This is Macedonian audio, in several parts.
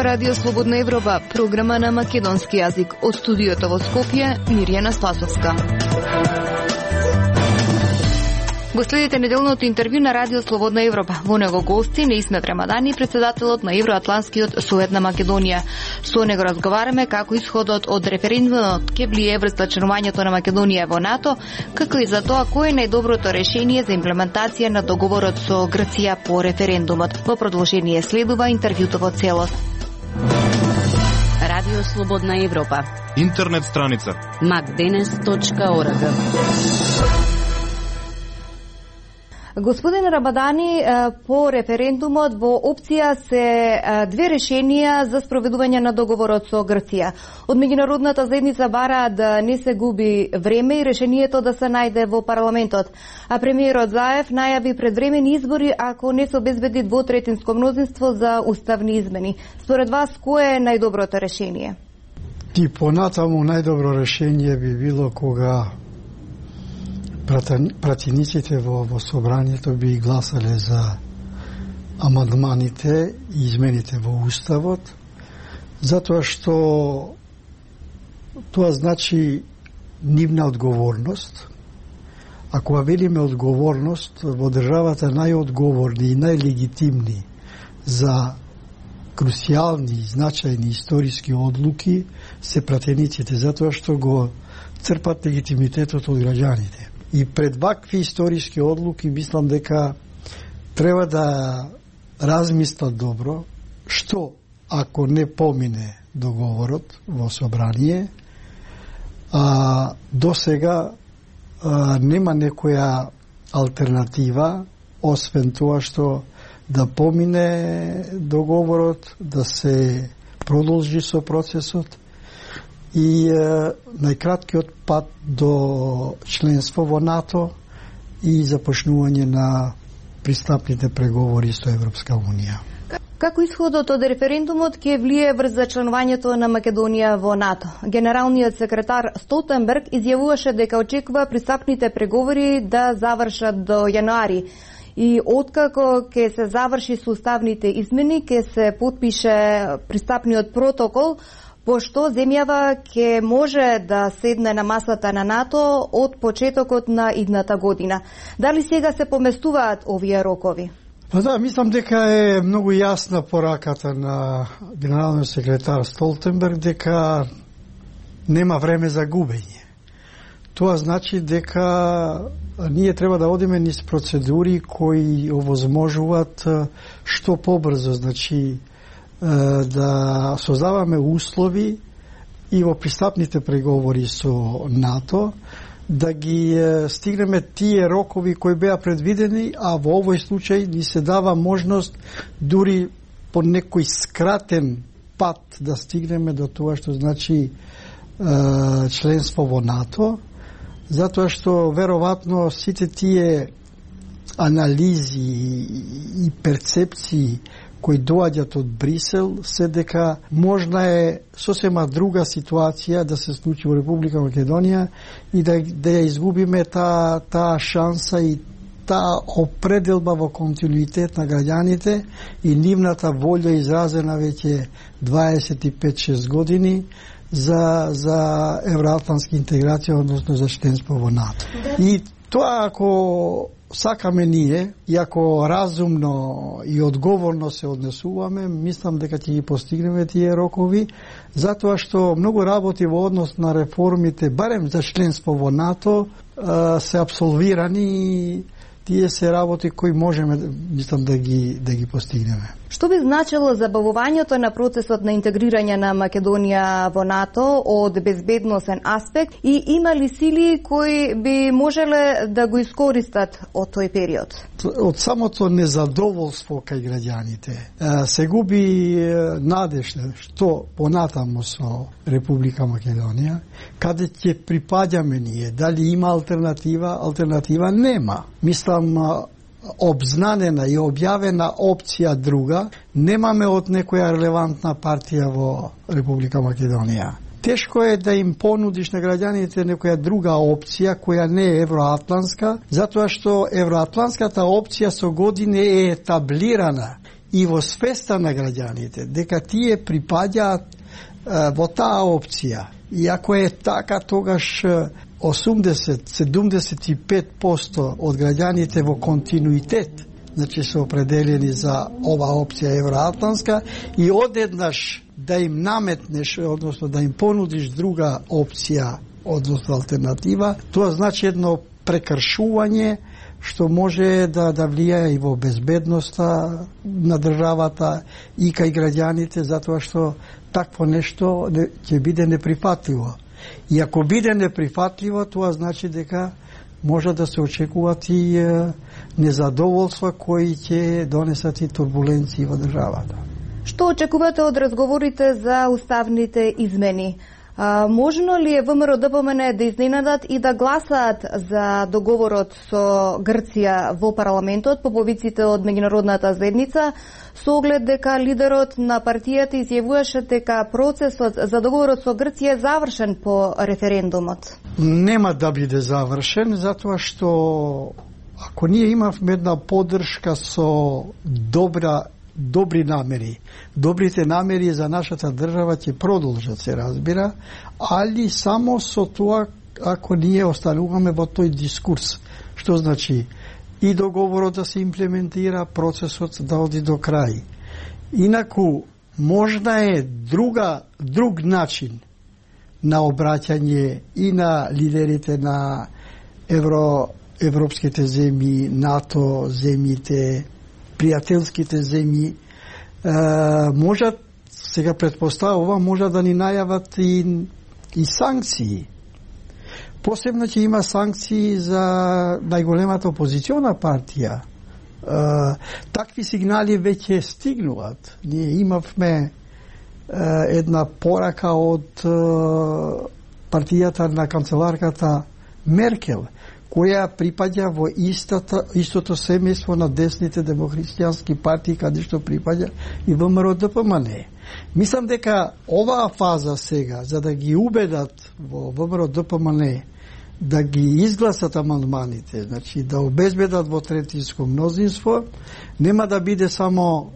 Радио Слободна Европа, програма на македонски јазик. Од студиото во Скопје, Мирјана Спасовска. Го следите неделното интервју на Радио Слободна Европа. Во него гости Неисмет Рамадани, председателот на Евроатланскиот совет на Македонија. Со него разговараме како исходот од референдумот ќе влие врз членувањето на Македонија во НАТО, како и за тоа кој е најдоброто решение за имплементација на договорот со Грција по референдумот. Во продолжение следува интервјуто во целост. Радио Слободна Европа. Интернет страница macdenes.org. Господин Рабадани, по референдумот во опција се две решенија за спроведување на договорот со Грција. Од меѓународната заедница бара да не се губи време и решението да се најде во парламентот. А премиерот Заев најави предвремени избори ако не се обезбеди двотретинско мнозинство за уставни измени. Според вас, кое е најдоброто решение? И понатаму најдобро решение би било кога пратениците во собранието би гласале за амандманите и измените во Уставот, затоа што тоа значи нивна одговорност. А кога велиме одговорност, во државата најодговорни и најлегитимни за крусијални и значајни историски одлуки се пратениците, затоа што го црпат легитимитетот од граѓаните. И пред вакви историски одлуки мислам дека треба да размислат добро што ако не помине договорот во собрание, до сега нема некоја алтернатива освен тоа што да помине договорот, да се продолжи со процесот и најкраткиот пат до членство во НАТО и започнување на пристапните преговори со Европска Унија. Како исходот од референдумот ќе влие врз членувањето на Македонија во НАТО? Генералниот секретар Столтенберг изјавуваше дека очекува пристапните преговори да завршат до јануари. И откако ќе се заврши со уставните измени, ќе се потпише пристапниот протокол, пошто земјава ќе може да седне на масата на НАТО од почетокот на идната година. Дали сега се поместуваат овие рокови? Па да, мислам дека е многу јасна пораката на генералниот секретар Столтенберг дека нема време за губење. Тоа значи дека ние треба да одиме низ процедури кои овозможуваат што побрзо, значи да создаваме услови и во пристапните преговори со НАТО да ги стигнеме тие рокови кои беа предвидени, а во овој случај ни се дава можност дури по некој скратен пат да стигнеме до тоа што значи членство во НАТО, затоа што веројатно сите тие анализи и перцепции кои доаѓат од Брисел се дека можна е сосема друга ситуација да се случи во Република Македонија и да ја изгубиме таа шанса и таа определба во континуитет на граѓаните и нивната волја изразена веќе 25-6 години за евроатлантска интеграција, односно за членство во НАТО. И тоа ако сакаме ние, и ако разумно и одговорно се однесуваме, мислам дека ќе ги постигнеме тие рокови, затоа што многу работи во однос на реформите, барем за членство во НАТО, се апсолвирани и тие се работи кои можеме, мислам, да ги постигнеме. Што би значило забавувањето на процесот на интегрирање на Македонија во НАТО од безбедносен аспект и има ли сили кои би можеле да го искористат од тој период? Од самото незадоволство кај граѓаните се губи надеж што понатаму со Република Македонија, каде ќе припаѓаме ние, дали има алтернатива? Алтернатива нема. Мислам, обзнанена и објавена опција друга немаме од некоја релевантна партија во Република Македонија. Тешко е да им понудиш на граѓаните некоја друга опција која не е евроатлантска, затоа што евроатлантската опција со години е етаблирана и во свеста на граѓаните дека тие припаѓаат во таа опција. И ако е така, тогаш 80-75% од граѓаните во континуитет, значи се определени за ова опција евроатлантска, и одеднаш да им наметнеш, односно да им понудиш друга опција, односно алтернатива, тоа значи едно прекршување што може да влијае и во безбедноста на државата и кај граѓаните, затоа што такво нешто ќе биде неприфатливо. И ако биде неприфатливо, тоа значи дека може да се очекуваат и незадоволства кои ќе донесат и турбуленции во државата. Што очекувате од разговорите за уставните измени? Можно ли е ВМРО-ДПМН да изненадат и да гласаат за договорот со Грција во парламентот по повиците од меѓународната заедница, со оглед дека лидерот на партијата изјавуваше дека процесот за договорот со Грција е завршен по референдумот? Нема да биде завршен, затоа што ако ние имавме една поддршка со добри намери. Добрите намери за нашата држава ќе продолжат, се разбира, али само со тоа ако ние остануваме во тој дискурс. Што значи и договорот да се имплементира, процесот да оди до крај. Инаку, можна е друг начин на обраќање и на лидерите на европските земји, НАТО земјите, пријателските земји, можат, сега предпоставува, можат да ни најават и санкции. Посебно ќе има санкции за најголемата опозициона партија. Такви сигнали веќе стигнуваат. Ние имавме една порака од партијата на канцеларката Меркел, која припаѓа во истото семејство на десните демохристијански партии, каде што припаѓа и ВМРО-ДПМН. Мислам дека оваа фаза сега, за да ги убедат во ВМРО-ДПМН да ги изгласат амандманите, значи да обезбедат во третинско мнозинство, нема да биде само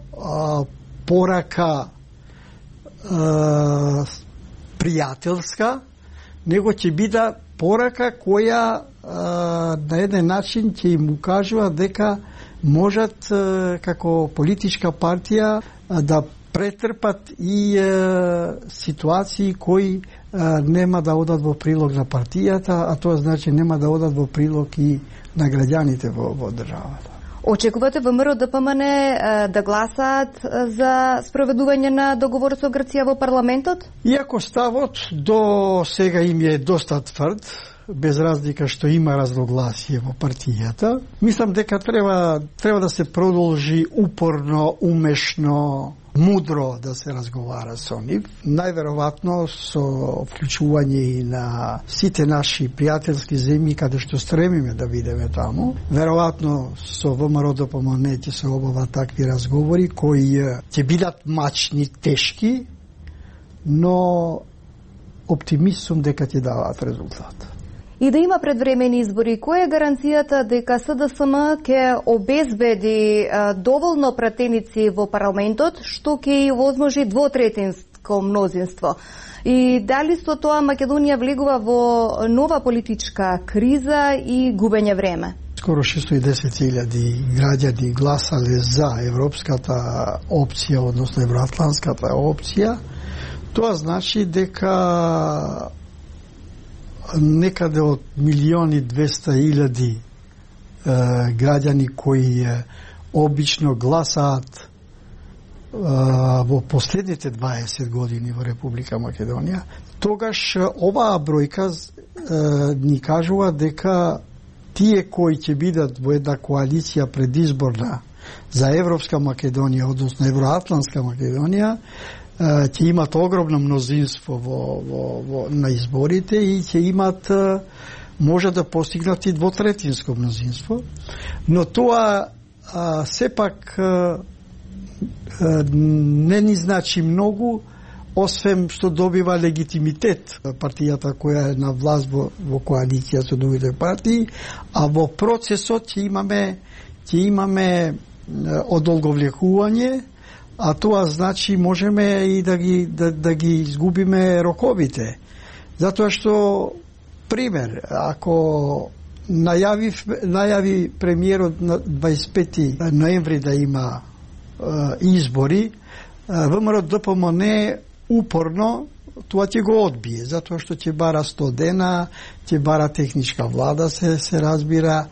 порака пријателска, него ќе биде порака која на еден начин ќе им укажува дека можат како политичка партија да претрпат и ситуации кои нема да одат во прилог на партијата, а тоа значи нема да одат во прилог и на граѓаните во државата. Очекувате ВМРО-ДПМН да гласаат за спроведување на договор со Грција во парламентот? Иако ставот до сега им е доста тврд, без разлика што има разногласие во партијата, мислам дека треба да се продолжи упорно, умешно, мудро да се разговара со нив. Најверојатно со вклучување и на сите наши пријателски земји каде што стремиме да бидеме таму. Веројатно со ВМРО-ДПМН ќе се обават такви разговори кои ќе бидат мачни, тешки, но оптимист сум дека ќе даваат резултат. И да има предвремени избори, која е гаранцијата дека СДСМ ќе обезбеди доволно пратеници во парламентот, што ќе и овозможи двотретинско мнозинство? И дали со тоа Македонија влегува во нова политичка криза и губење време? Скоро 610.000 граѓани гласале за европската опција, односно евроатлантската опција. Тоа значи дека некаде од 1.200.000 граѓани кои обично гласаат во последните 20 години во Република Македонија, тогаш оваа бројка ни кажува дека тие кои ќе бидат во една коалиција предизборна за Европска Македонија, односно Евроатлантска Македонија, ќе имат огромно мнозинство на изборите и ќе имат, може да постигнат и двотретинско мнозинство, но тоа сепак не ни значи многу, освен што добива легитимитет партијата која е на власт во коалиција со другите партии, а во процесот ќе имаме одолговлекување, а тоа значи можеме и да ги изгубиме роковите. Затоа што, пример, ако најави премиерот на 25 ноември да има избори, ВМРО ДПМН упорно тоа ќе го одбие, затоа што ќе бара 100 дена, ќе бара техничка влада, се разбира,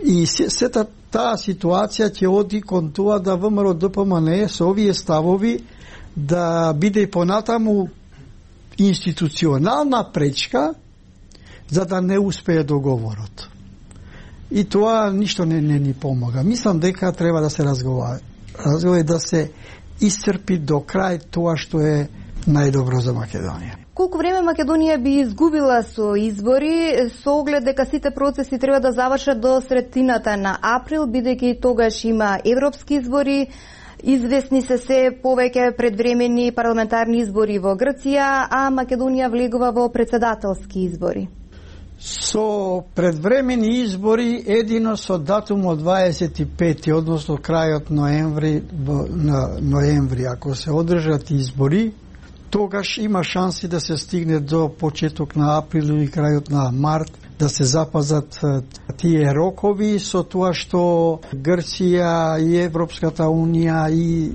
и сета таа ситуација ќе оди кон тоа да ВМРО ДПМН со овие ставови да биде понатаму институционална пречка за да не успее договорот. И тоа ништо не ни помага. Мислам дека треба да се разговара да се исцрпи до крај тоа што е најдобро за Македонија. Колку време Македонија би изгубила со избори, со оглед дека сите процеси треба да завршат до средината на април, бидејќи тогаш има европски избори, известни се повеќе предвремени парламентарни избори во Грција, а Македонија влегува во председателски избори. Со предвремени избори едино со датумот 25, односно крајот ноември, ако се одржат избори, тогаш има шанси да се стигне до почеток на април или крајот на март, да се запазат тие рокови, со тоа што Грција и Европската Унија и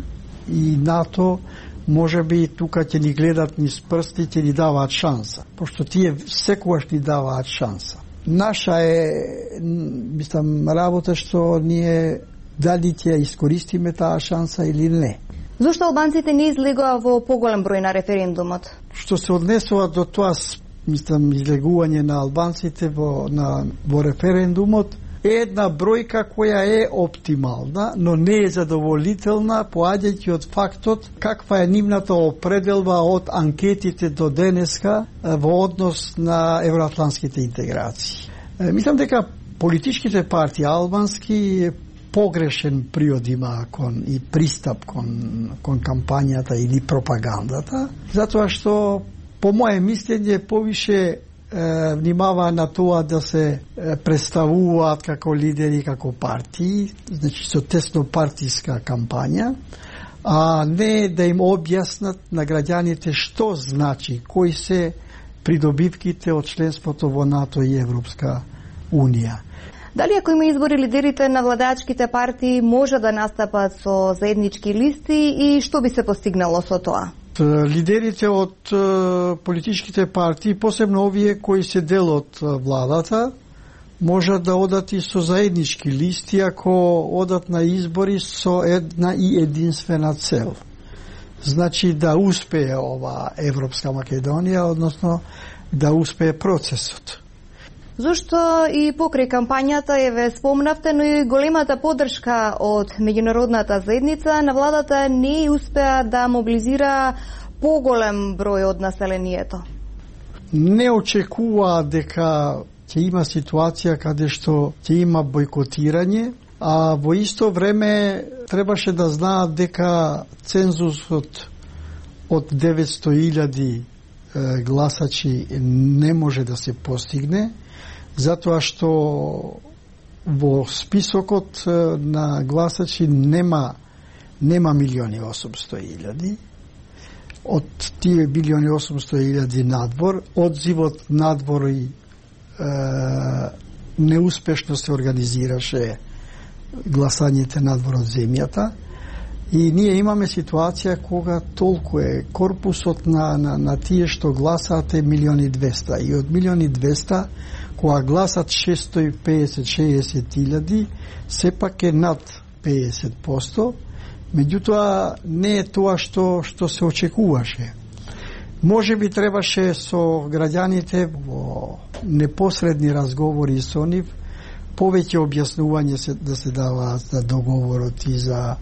НАТО може би тука ќе ни гледат низ прсти, ќе ни даваат шанса, пошто тие секогаш ни даваат шанса. Наша мислам, работа што ние дали ќе искористиме таа шанса или не. Зошто албанците не излегоа во поголем број на референдумот? Што се однесува до тоа, мислам, излегување на албанците во референдумот, е една бројка која е оптимална, но не е задоволителна, поаѓајќи од фактот каква е нивната определба од анкетите до денеска во однос на евроатлантските интеграции. Мислам дека политичките партии албански погрешен приод има и пристап кон кампањата или пропагандата, затоа што по моje мислење повише внимава на тоа да се представуваат како лидери, како партии, значи со тесно партиска кампања, а не да им објаснат на граѓаните што значи, кои се придобивките од членството во НАТО и Европска Унија. Дали ако има избори, лидерите на владеачките партии може да настапат со заеднички листи и што би се постигнало со тоа? Лидерите од политичките партии, посебно овие кои се дел од владата, можат да одат и со заеднички листи ако одат на избори со една и единствена цел. Значи да успее ова Европска Македонија, односно да успее процесот. Зошто и покрај кампањата ве спомнавте, но и големата поддршка од меѓународната заедница на владата не успеа да мобилизира поголем број од населението? Не очекува дека ќе има ситуација каде што ќе има бојкотирање, а во исто време требаше да знаат дека цензусот од 900.000 гласачи не може да се постигне, затоа што во списокот на гласачи нема 1.800.000. Од тие 1.800.000 надвор, одзивот надвор и неуспешно се организираше гласањето надвор од земјата. И ние имаме ситуација кога толку е корпусот на тие што гласаат е 1.200.000. И од 1.200.000 кога гласат 650-60.000, сепак е над 50%, меѓутоа не е тоа што се очекуваше. Може би требаше со граѓаните во непосредни разговори со нив повеќе објаснување да се даваат за договорот и за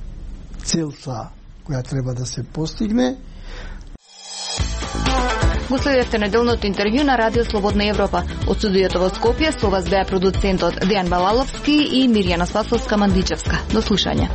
целта која треба да се постигне. Го следевте неделното интервју на Радио Слободна Европа. Од студиото во Скопје со вас беа продуцентот Дејан Балаловски и Мирјана Спасовска-Мандичевска. До слушање.